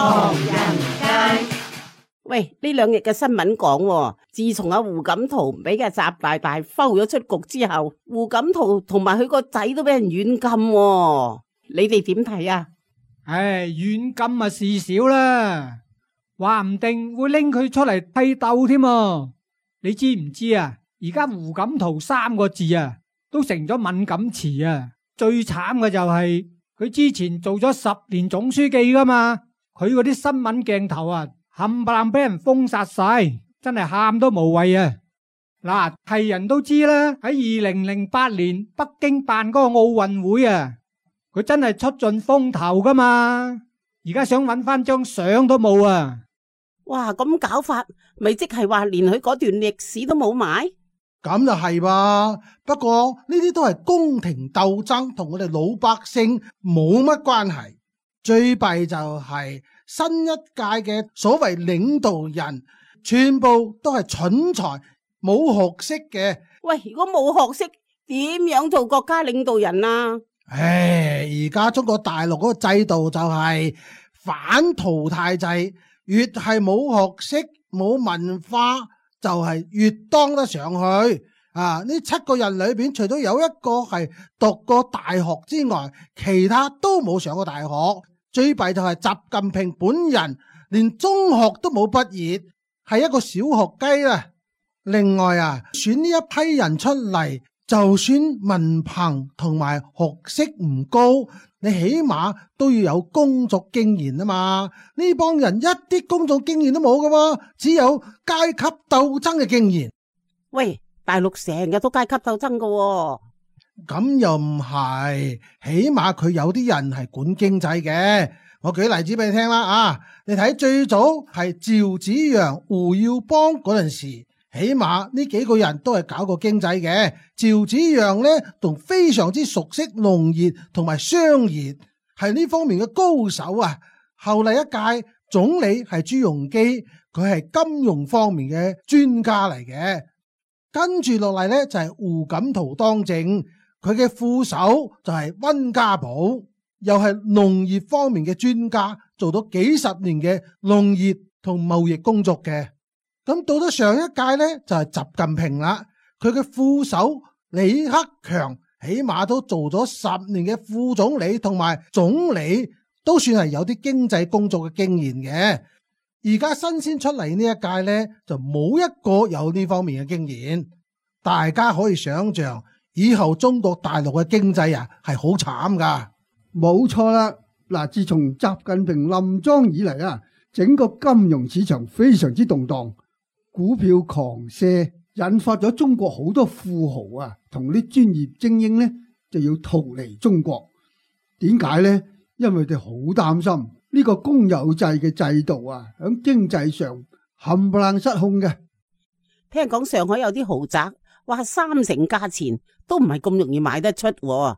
唐人街。喂，呢兩日嘅新聞講喎，自從阿胡錦濤俾嘅習大大摟咗出局之後，胡錦濤同埋佢個仔都俾人軟禁喎，你哋點睇啊？唉，軟禁啊事少啦，話唔定會拎佢出嚟批鬥添啊！你知唔知啊？而家胡錦濤三個字啊，都成咗敏感詞啊！最慘嘅就係佢之前做咗10年總書記噶嘛，佢嗰啲新聞鏡頭啊，冚唪唥俾人封殺晒，真係喊都無謂啊！嗱，係人都知啦，喺2008年北京辦嗰個奧運會啊，佢真係出盡風頭噶嘛，而家想搵翻張相都冇啊！哇，咁搞法，咪即係話連佢嗰段歷史都冇埋？咁就係噃，不過呢啲都係宮廷鬥爭，同我哋老百姓冇乜關係。最弊就係新一屆嘅所謂領導人，全部都係蠢材，冇學識嘅。喂，如果冇學識，點樣做國家領導人啊？唉，而家中國大陸嗰個制度就係反淘汰制，越係冇學識、冇文化，就係越當得上去啊！呢7個人裏邊，除咗有一個係讀過大學之外，其他都冇上過大學。最弊就係習近平本人連中學都冇畢業，係一個小學雞啦。另外啊，選呢一批人出嚟，就算文憑同埋學識唔高，你起碼都要有工作經驗啊嘛！呢幫人一啲工作經驗都冇噶，只有階級鬥爭嘅經驗。喂，大陸成日都階級鬥爭噶喎。咁又唔係，起碼佢有啲人係管經濟嘅。我舉例子俾你聽啦啊！你睇最早係趙紫陽、胡耀邦嗰陣時，起碼呢幾個人都係搞過經濟嘅。趙紫陽呢，仲非常之熟悉農業同埋商業，係呢方面嘅高手啊。後嚟一屆總理係朱鎔基，佢係金融方面嘅專家嚟嘅。跟住落嚟呢，就係胡錦濤當政，佢嘅副手就係溫家寶，又係農業方面嘅專家，做咗幾十年嘅農業同貿易工作嘅。咁到咗上一屆呢，就係習近平啦，佢嘅副手李克強起碼都做咗10年嘅副總理同埋總理，都算係有啲經濟工作嘅經驗嘅。而家新鮮出嚟呢一屆呢，就冇一個有呢方面嘅經驗。大家可以想象，以後中國大陸嘅經濟啊係好慘噶。冇錯啦，嗱，自從習近平臨莊以嚟啊，整個金融市場非常之動盪，股票狂瀉，引發咗中國好多富豪啊同啲專業精英呢就要逃離中國。點解呢？因為佢哋好擔心呢個公有制嘅制度啊，喺經濟上冚唪唥失控嘅。聽講上海有啲豪宅，話3成價錢都唔係咁容易買得出喎。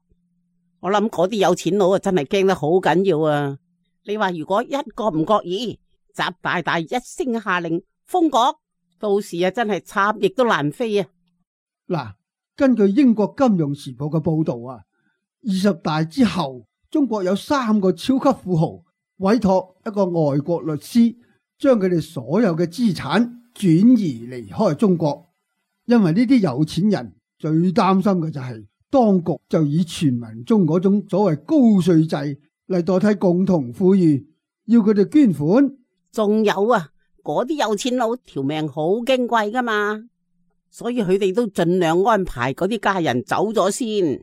我諗嗰啲有錢佬啊，真係驚得好緊要啊！你話如果一個唔覺意，習大大一聲下令封國，到時啊真係插翼都難飛啊！嗱，根據英國金融時報嘅報道啊，20大之後，中國有3個超級富豪委託一個外國律師，將佢哋所有嘅資產轉移離開中國。因為呢啲有錢人最擔心嘅就係當局就以全民中嗰種所謂高稅制嚟代替共同富裕，要佢哋捐款。仲有啊，嗰啲有錢佬條命好矜貴噶嘛，所以佢哋都盡量安排嗰啲家人走咗先。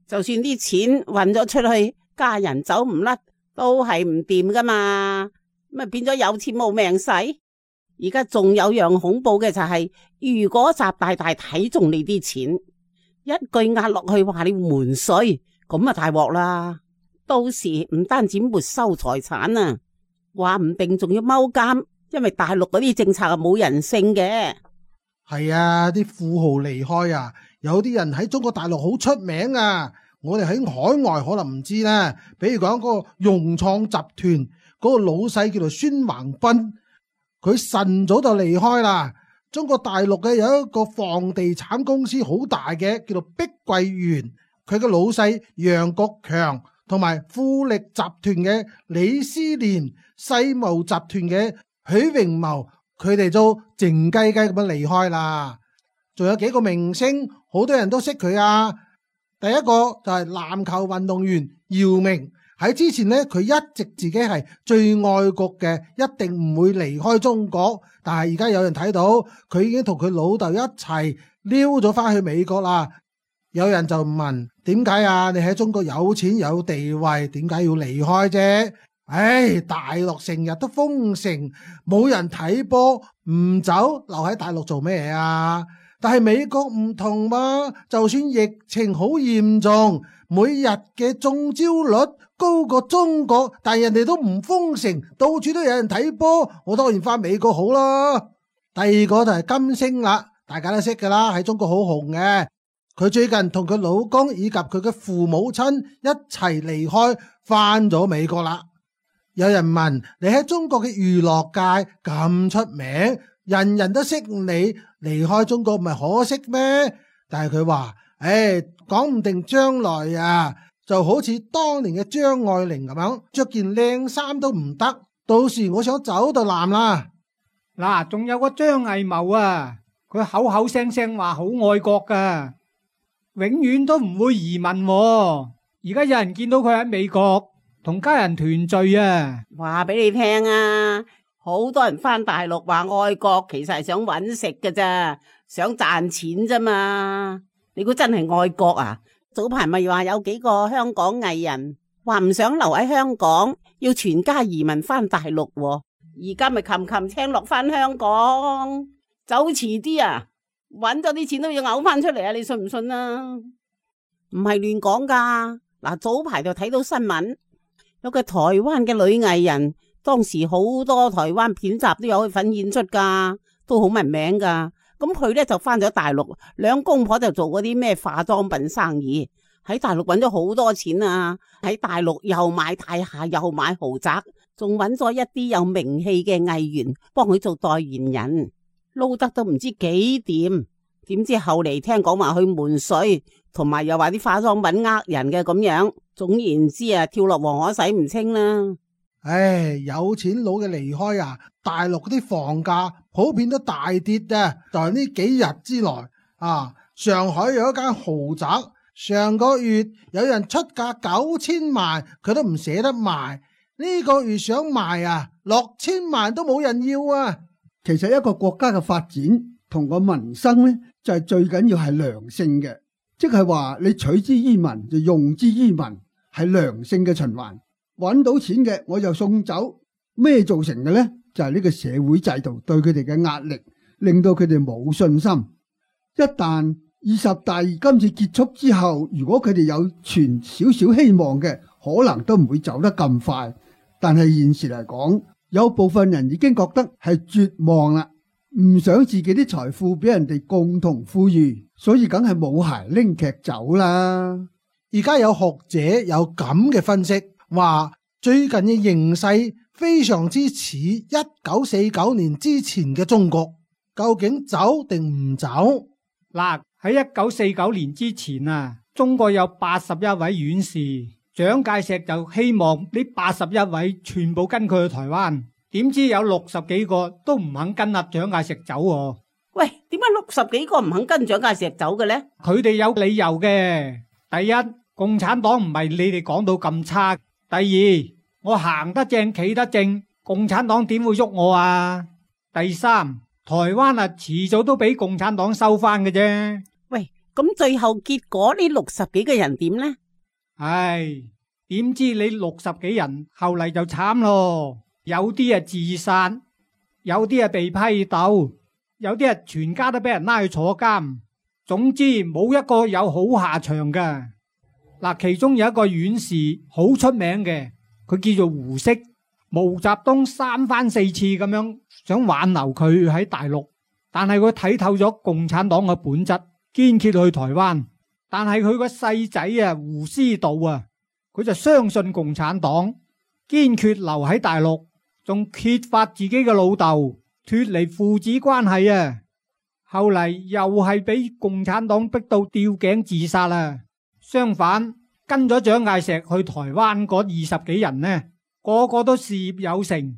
就算啲錢運咗出去，家人走唔甩，都係唔掂噶嘛，咁啊變咗有錢冇命使。而家仲有樣恐怖嘅就係，如果習大大睇中你啲錢，一句壓落去話你瞞稅，咁啊大鑊啦！到時唔單止沒收財產啊，話唔定仲要踎監，因為大陸嗰啲政策係冇人性嘅。係啊，啲富豪離開啊，有啲人喺中國大陸好出名啊，我哋喺海外可能唔知啦。比如講嗰個融創集團嗰個老細叫做孫宏斌，佢晨早就離開啦。中國大陸嘅有一個房地產公司好大嘅，叫做碧桂園，佢嘅老細楊國強同埋富力集團嘅李思廉、世茂集團嘅許榮謀，佢哋都靜雞雞咁樣離開啦。仲有幾個明星，好多人都識佢啊。第一個就係籃球運動員姚明，喺之前呢，佢一直自己係最愛國嘅，一定唔會離開中國。但係而家有人睇到佢已經同佢老豆一齊溜咗翻去美國啦。有人就問，點解啊？你喺中國有錢有地位，點解要離開啫？唉，大陸成日都封城，冇人睇波，唔走留喺大陸做咩啊？但係美國唔同嘛，就算疫情好嚴重，每日嘅中招率高過中國，但係人哋都唔封城，到處都有人睇波，我當然翻美國好啦。第二個就係金星啦，大家都識噶啦，喺中國好紅嘅。佢最近同佢老公以及佢嘅父母親一齊離開，翻咗美國啦。有人問，你喺中國嘅娛樂界咁出名，人人都識你，離開中國唔係可惜咩？但係佢話，講唔定將來啊，就好似當年嘅張愛玲咁樣，着件靚衫都唔得，到時我想走就難啦。嗱，仲有個張藝謀啊，佢口口聲聲話好愛國噶，永遠都唔會移民喎。而家有人見到佢喺美國同家人團聚啊，話俾你聽啊，好多人翻大陸話愛國，其實係想搵食㗎咋，想賺錢咋嘛。你估真係愛國啊？早排咪話有幾個香港藝人話唔想留喺香港，要全家移民翻大陸喎。而家咪琴青落翻香港，走遲啲啊，搵咗啲錢都要嘔翻出嚟啊！你信唔信啊？唔係亂講噶。嗱，早排就睇到新聞，有個台灣嘅女藝人，當時好多台灣片集都有去份演出噶，都好聞名噶。咁佢呢就翻咗大陸，兩公婆就做嗰啲咩化妝品生意，喺大陸揾咗好多錢啊！喺大陸又買大廈，又買豪宅，仲揾咗一啲有名氣嘅藝員幫佢做代言人，撈得都唔知幾掂。點知後嚟聽講話去瞞稅，同埋又話啲化妝品呃人嘅咁樣。總言之啊，跳落黃河洗唔清啦。有錢佬嘅離開啊，大陸嗰啲房價普遍都大跌啊！就係呢幾日之內啊，上海有一間豪宅，上個月有人出價9000萬，佢都唔捨得賣。呢個月想賣啊，6000萬都冇人要啊！其實一個國家嘅發展同個民生呢，就係最緊要係良性嘅，即係話你取之於民就用之於民，係良性嘅循環。揾到錢嘅我就送走，咩造成嘅呢？就係呢個社會制度對佢哋嘅壓力，令到佢哋冇信心。一旦20大今次結束之後，如果佢哋有存少少希望嘅，可能都唔會走得咁快。但係現時嚟講，有部分人已經覺得係絕望啦，唔想自己啲財富俾人哋共同富裕，所以梗係冇鞋拎劇走啦。而家有學者有咁嘅分析，話最近嘅形勢非常之似1949年之前嘅中國，究竟走定唔走？嗱，喺1949年之前啊，中國有81位院士，蔣介石就希望呢81位全部跟佢去台灣，點知有60幾個都唔肯跟阿蔣介石走喎。喂，點解60幾個唔肯跟蔣介石走嘅呢？佢哋有理由嘅。第一，共產黨唔係你哋講到咁差。第二，我行得正企得正，共產黨點會喐我啊？第三，台灣啊遲早都俾共產黨收翻嘅啫。喂，咁最後結果呢60幾個人點呢？唉，點知你60幾人後嚟就慘咯，有啲啊自殺，有啲啊被批鬥，有啲啊全家都俾人拉去坐監。總之冇一個有好下場噶。嗱，其中有一個院士好出名嘅，佢叫做胡適。毛澤東3番4次咁樣想挽留佢喺大陸，但係佢睇透咗共產黨嘅本質，堅決去台灣。但係佢個細仔啊胡思道啊，佢就相信共產黨，堅決留喺大陸，仲揭發自己嘅老豆脫離父子關係啊。後嚟又係俾共產黨逼到吊頸自殺啦。相反，跟咗蔣介石去台灣嗰20幾人呢，個個都事業有成。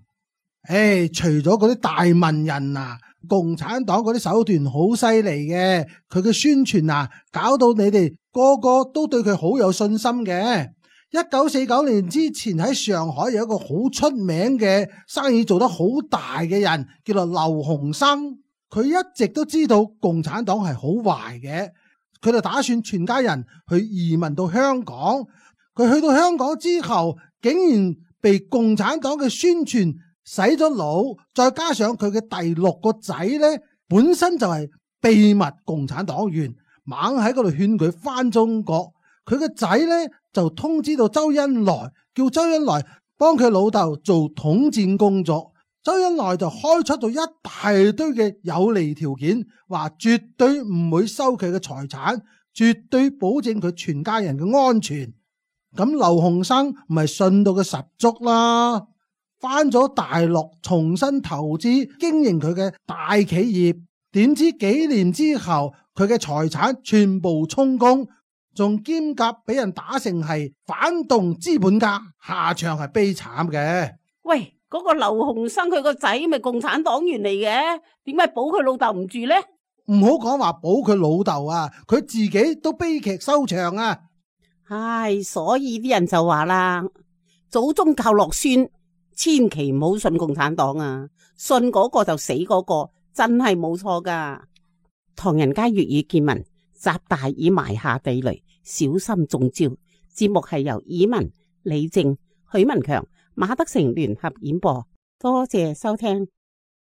除咗嗰啲大文人啊，共產黨嗰啲手段好犀利嘅，佢嘅宣傳啊，搞到你哋個個都對佢好有信心嘅。1949年之前喺上海有一個好出名嘅生意做得好大嘅人，叫做劉鴻生。佢一直都知道共產黨係好壞嘅，佢就打算全家人去移民到香港。佢去到香港之後，竟然被共產黨嘅宣傳洗咗腦，再加上佢嘅第6個仔呢，本身就係秘密共產黨員，猛喺嗰度勸佢翻中國。佢個仔呢就通知到周恩來，叫周恩來幫佢老豆做統戰工作。周恩來就開出咗一大堆嘅有利條件，話絕對唔會收佢嘅財產，絕對保證佢全家人嘅安全。咁劉鴻生咪信到佢十足啦，翻咗大陸重新投資經營佢嘅大企業。點知幾年之後，佢嘅財產全部充公，仲兼夾俾人打成係反動資本家，下場係悲慘嘅。喂，嗰個劉鴻生佢個仔咪共產黨員嚟嘅，點解保佢老豆唔住呢？唔好講話保佢老豆啊，佢自己都悲劇收場啊！唉，所以啲人就話啦，祖宗教落孫，千祈唔好信共產黨啊！信嗰個就死嗰個，真係冇錯噶。唐人街粵語見聞，習大已埋下地雷，小心中招。節目係由以文、李正、許文強、馬德成聯合演播，多謝收聽。